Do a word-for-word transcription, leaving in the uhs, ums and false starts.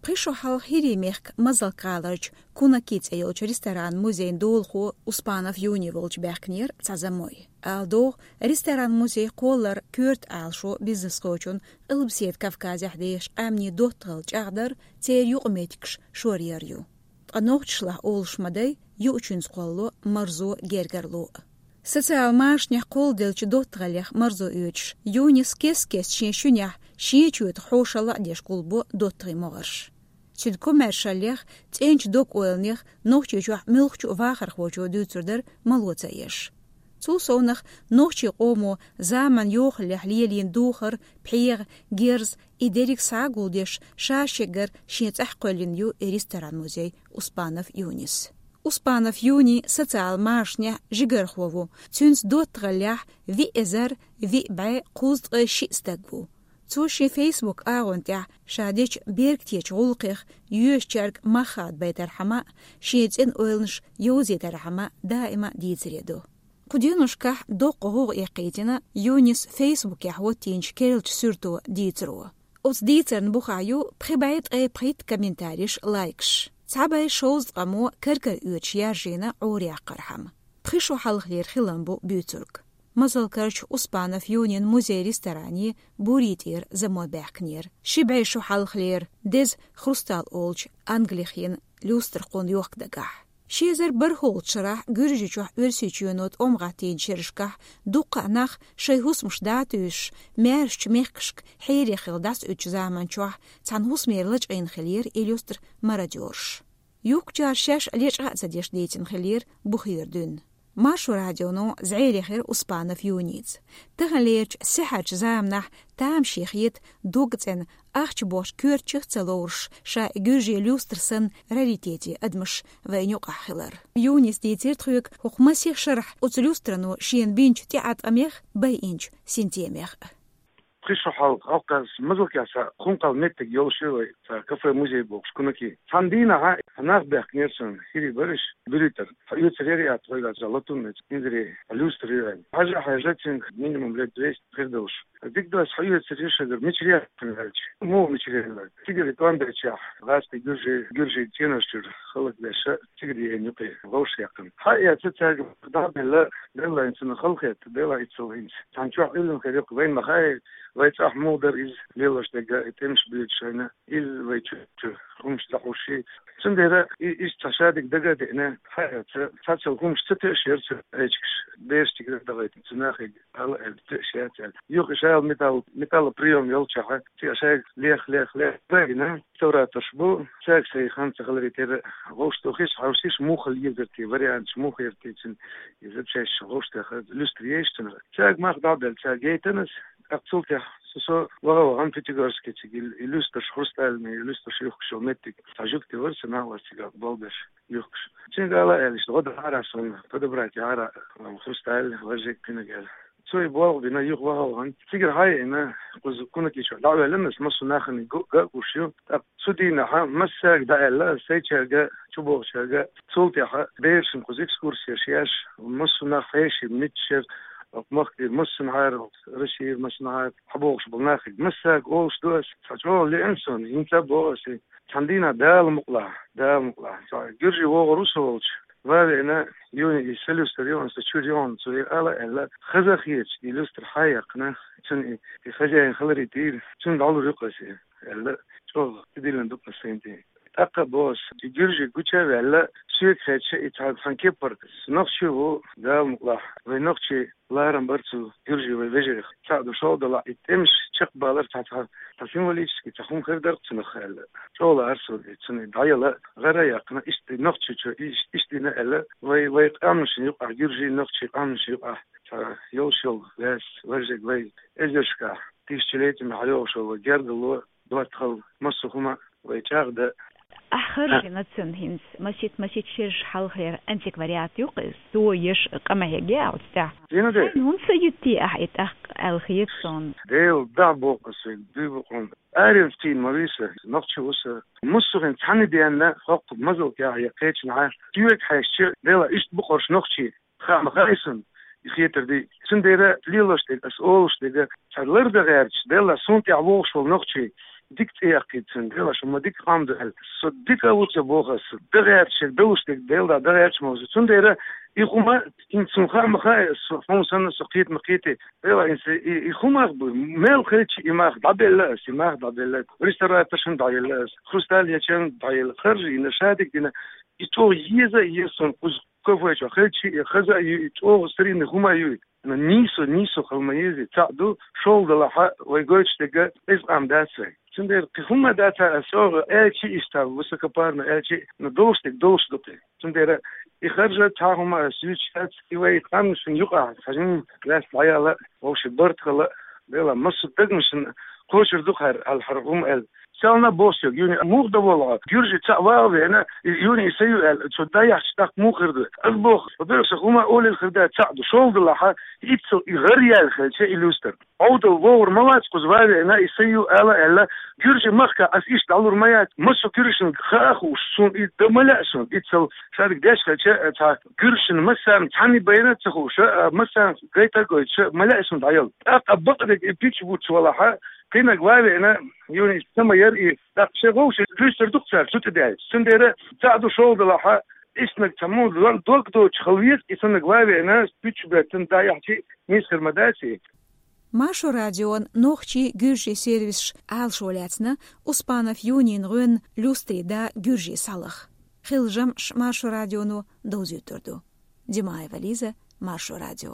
Пхи шо хьалха ХӀирийн мехка Мазалк гӀаларчу «Кунаки» цӀе йолчу ресторан-музейн долахо Успанов Юни волчу баьхкинера цхьа замой. Ала догӀу, ресторан-музей кхоллар коьрта Ӏалашо бизнесхочун, Къилбаседа Кавказехь дехачу къаьмнийн доттагӀалла чӀагӀдар, церан юкъаметтигаш шоръяр ю. Ткъа нохчашлахь олуш ма дай, юучуьнца кхоллало марзо, гергарло а. Социал машанехь кхолладеллачу доттагӀаллех марзо оьцуш, Юнис кест-кеста шен шуьнехь шен чоьтах хьошалла а деш гулбо доттагӀийн могӀарш. Цуьнан комаьршаллех, цӀеначу дог-ойланех Нохчийчохь муьлххачу а вахархочо дуьйцур дара мало ца еш. Цул совнаха, нохчийн къомо заманан йохаллехь лелийна духар, пхьегӀа, герз, и дерриг схьа а гулдеш, ша шегара шен цӀахь кхоьллина ю и ресторан-музей Успанов Юнис. Успанов Юни социал машанехь жигархо ву, цуьнца доттагӀаллехь виъ эзар виъ бӀе кхузткъе шиъ стаг ву. Цо шен Facebook агӀон тӀехь ша дечу бергтечу гӀуллакхех йоьшучаьрга мах хадабайтархьама а, шен цӀена ойланаш йовзийтархьама а даима а дийцаре ду. Кху деношкахь доккха гӀовгӀа эккхийтина Юнис Facebook-ехь хӀоттийначу керлачу суьрто дийцаро. Оцу дийцарна бухахь ю пхи бӀе ткъе пхийтта комментареш, лайкаш. Цхьа бӀе шовзткъамо кар-кара оьцуш яржийна Ӏораяьккхархьама. Пхи шо хьалхалера хилам бу буьйцург. Мазалкарчу Успанов Юнин музей-ресторане Бурий тӀера замой баьхкинера. Ши бӀе шо хьалхалера деза «Хрусталь» олучу англих йина люстра кхунна йохка дагахь. Ши эзар бархӀолгӀачу шарахь Гуьржийчохь Оьрсийчоьно тӀом гӀаттийначу шерашкахь дуккха а нах шайн хӀусамаш дӀатуьйсуш, маьршачу мехкашка хьере хилла дӀасаоьцучу заманчохь цхьана хӀусамера лачкъийна хиллера и люстра мародёраш. Юхкучара шаьш лечкъа а ца деш дийцина хиллера бухера дуьйна. Маршо радионо зӀере хир Успанов Юница. Таханлерчу сихьарчу заманахь тамашийна хета дог цӀена, ахча бохучу коьртачух а ца лоруш, ша и гуьржийн люстра санна раритете адамаш вайна юкъахь хилар. Юнис дийцира тхоьга хӀокху масех шарахь оцу люстрано шена бинчу тӀеӀаткъамех а, байинчу синтемех а. Пхи шо хьалха, хьалха Мазалкехь цхьа хӀума кхалла меттиг йолуш ю вай, цхьа кафе-музей бохуш, «Кунаки». Цхьана дийнахь нах баьхкинера суна, хӀирий бара уьш, буьрий тӀера. Хьо оьцур яра аьлла тхоьга, цхьа латунный, инзаре, хьо люстра ю аьлла. Хьажа, хьаьжча, цуьнга минимум лет двести хир долуш. Дика доцуш, хьо оьцур яра шуьгара, мичара яхана аьлча. Муха мичара яхана аьлча. Цигара тӀом бечохь, гӀазкхий гуьржий, гуьржийн цӀенош чуьра хӀаллакбеш, цигара еана юкъе вовшахъяьккхина. Хьаэца цаьрга дӀа а белла, Делан цунах халахетта, Делан иццал хӀинца. Цхьана чохь уьллина хир ю-кх, вайна ма хаьа, вай цӀахь муха дара иза лелош дерг, и тӀемаш буьйцуш шайна, иза вай чу, чу хӀумаш дӀахьуш. Цундела и, иштта цхьа шадерг дага а деана, хьаэца, цхьацца хӀумаш ца тоьуш яра цу эчигаш, бераш тигра а дахийтина цу нахе. Ала аьлла, тоьуш яц аьлла. Юха ша металл, металлоприём йолчохь, цигахь шайга лех, лех, лех. Вайна реставраторш бу, цаьрга сайн хан ца хиларе терра, вовшахтохийша, хьовсийша, муха хила езар те, варианташ муха яра те цуьнан, иза шаьш вовшахтоха, люстра ейша цунах. Цаьрга мах дӀа а белла, цаьрга яйтина ас, тӀаккха цул тӀаьхьа со, со ваха-вахана Пятигорске цига и, и люстраш, хрустальный, и люстраш юхкуш йолу меттиг, цхьа жуьгти вара сан, нах вара цигахь болх беш юхкуш. Цуьнга ала аьлла, иштта гӀо дахьара суна, подобрать яхьара, хрусталь, важек, куьнаг аьлла. Цо и болх бина, юха ваха-вахана, цигара хьаеана, кхуза Кунаки чохь дӀа а ваьллина ас, массо а нахана го-, ган а гуш ю. ТӀаккха цу дийнахьа массаьрга дӀааьлла ас, сайчаьрга, чубогӀучаьрга, цул тӀаьхьа берашна кхуза экскурси еш, еш, массо а нах хьеший, миччара, махкара массанхьара, Россера массанхьара хьабогӀуш болу нахе. Массаьрга олуш ду ас, цхьа чӀогӀа лиъна суна, хӀинца а боху ас и. Цхьана дийнахь, Дала мукъалахь, Дала мукъалахь, цхьа гуьржий вогӀур ву со волчу, ван а веана, Юни и сан люстра ю, аса чуьра ю, цо и ала аьлла, хаза а хеташ, и люстра хьаяьккхина, цуьнан и, и хозяин хиларе тӀера, цуьнга дӀалур ю-кх аса и, аьлла, чӀогӀа тидиллина ду-кх аса сайна тӀе. ТӀаккха а боху ас, и гуьржий гуча а ваьлла, соьга хаьттича, и цхьа цхьана кепара, нохчи ву, Дала мукъалахь, вай нохчий ларам бара цу гуьржий вай вежарих. Цхьаъ ду шолгӀа далахь, и тӀемаш чекхбалар цхьа, цхьа, цхьа символически цхьа хӀума хир дара-кх цунах аьлла. ЧӀогӀа лаьара суна, цунна дӀаяла, гӀара а яьккхина, иштта нохчи чу, иш-, иштта йина аьлла, вай, вай къаьмнашна юкъахь, гуьржий, нохчий къаьмнашна юкъахь, цхьа йолуш йолу ваьс, важек вай эзаршкахь, тысячелетиями хьайогӀуш йолу вай гергарло, доттагӀалла, массо а хӀума вай чӀагӀдан. Ахь харжина цунна хӀинца, масийтта-масийтта шераш хьалхалера антиквариат ю-кх иза, цо еш къа ма хьегна оцу тӀехь. Дина де? Хьайна хӀунда ца юьтий ахь и тӀаккха аьлла хета суна? Дела, дӀа боху аса вайга, дуй бу хьуна. Аренца тийна ма вий сан, нохчи ву сан. Массо а хӀинца цхьана денна хӀокху Мазалкехь я кхечанхьа, соьга хьаьжча, дела, иштта бу-кх уьш нохчий. Хаа ма хаьа суна, и хетар дий. Цундела лелош дерг, ас олуш дерг, цхьа лардан гӀерташ, делла, суна тӀехь вогӀуш волу нохчий, дика цӀи яьккхийта цунна, Дела, шо ма дика хӀама ду аьлла. Со дика а ву ца боху ас, дагӀерча шега далуш дерг Дела дагӀерча ма ву со. Цундела и хӀума хӀинца цунна хаа ма хаьа, со хьуна санна со кхета ма кхетий. Дела, и, и, и хӀума ах бу, мел хилча и мах дӀабелла ас, и мах дӀабелла. Реставраторшна дӀаелла ас, хрусталь ечарна дӀаелла, харжа йина, шадерг дина. И чӀогӀа еза а еза суна, кхуза кафе чохь хилча, и хаза а ю, и чӀогӀа старинный хӀума а ю. Но нийсо, нийсо хила ма еза, цхьаъ ду, шолгӀа делахь а вай гойтуш дерг эза къам дац вай. Цундела кхин хӀума дац ас чӀогӀа аьлча а, иштта высокопарно аьлча а, но долуш дерг долуш ду кхин. Цундела и харжа цхьа хӀума ас юьйцуш дац, и вай къаьмнашна юкъахь хьажин лаьцна дӀаяла, вовшийн барт хала, Дела, массо а дегнашна кхочур ду хӀара, аьлла, хӀара хӀума аьлла. Селна боху соьга, Юни, муха дан волу хьо? Гуьржи цхьаъ вагӀа веана, и Юни, и са ю аьлла, цо дӀаяхьча тӀаккха муха хир ду? Ас боху, хьо берг сан хӀума олийла хир дац, цхьаъ ду, шолгӀа делахь а, иццал и гӀар яьлла хилча, и люстар. Ӏовдал вогӀур ма вац кхуза ван веана, и са ю ала аьлла, гуьржи махка ас иштта дӀалур ма яц, массо а гуьржашна хаа хууш, суна и дан ма лаьа суна, иццал шадерг деш хилча, цхьа гуьржашна массарна цхьаьна байна а ца хууш, а, массарна гайта а гойтуш, ма лаьа суна дӀаяла. ТӀаккха бакъдерг и пичча буц валахь а, кхиннарг ван веана, Юни, са ма яра и, тӀаккха шайн вовшийн дуьстур ду-кх цара цу тӀе даьлча. Цундела цхьаъ ду, шолгӀа делахь а, иштаниг цхьа муха дог доцуш хила веза, и саннарг ван веана, пичча беттан дӀаяхьча а нийса хир ма дац и. Маршо радион нохчийн, гуьржийн сервисаш Ӏалашо лаьцна Успанов Юнин гӀоьнна «Люстарий да» гуьржийн схьалаха. Хилла жамӀаш Маршо радионо довзуьйтур ду. Димаева Лиза, Маршо радио.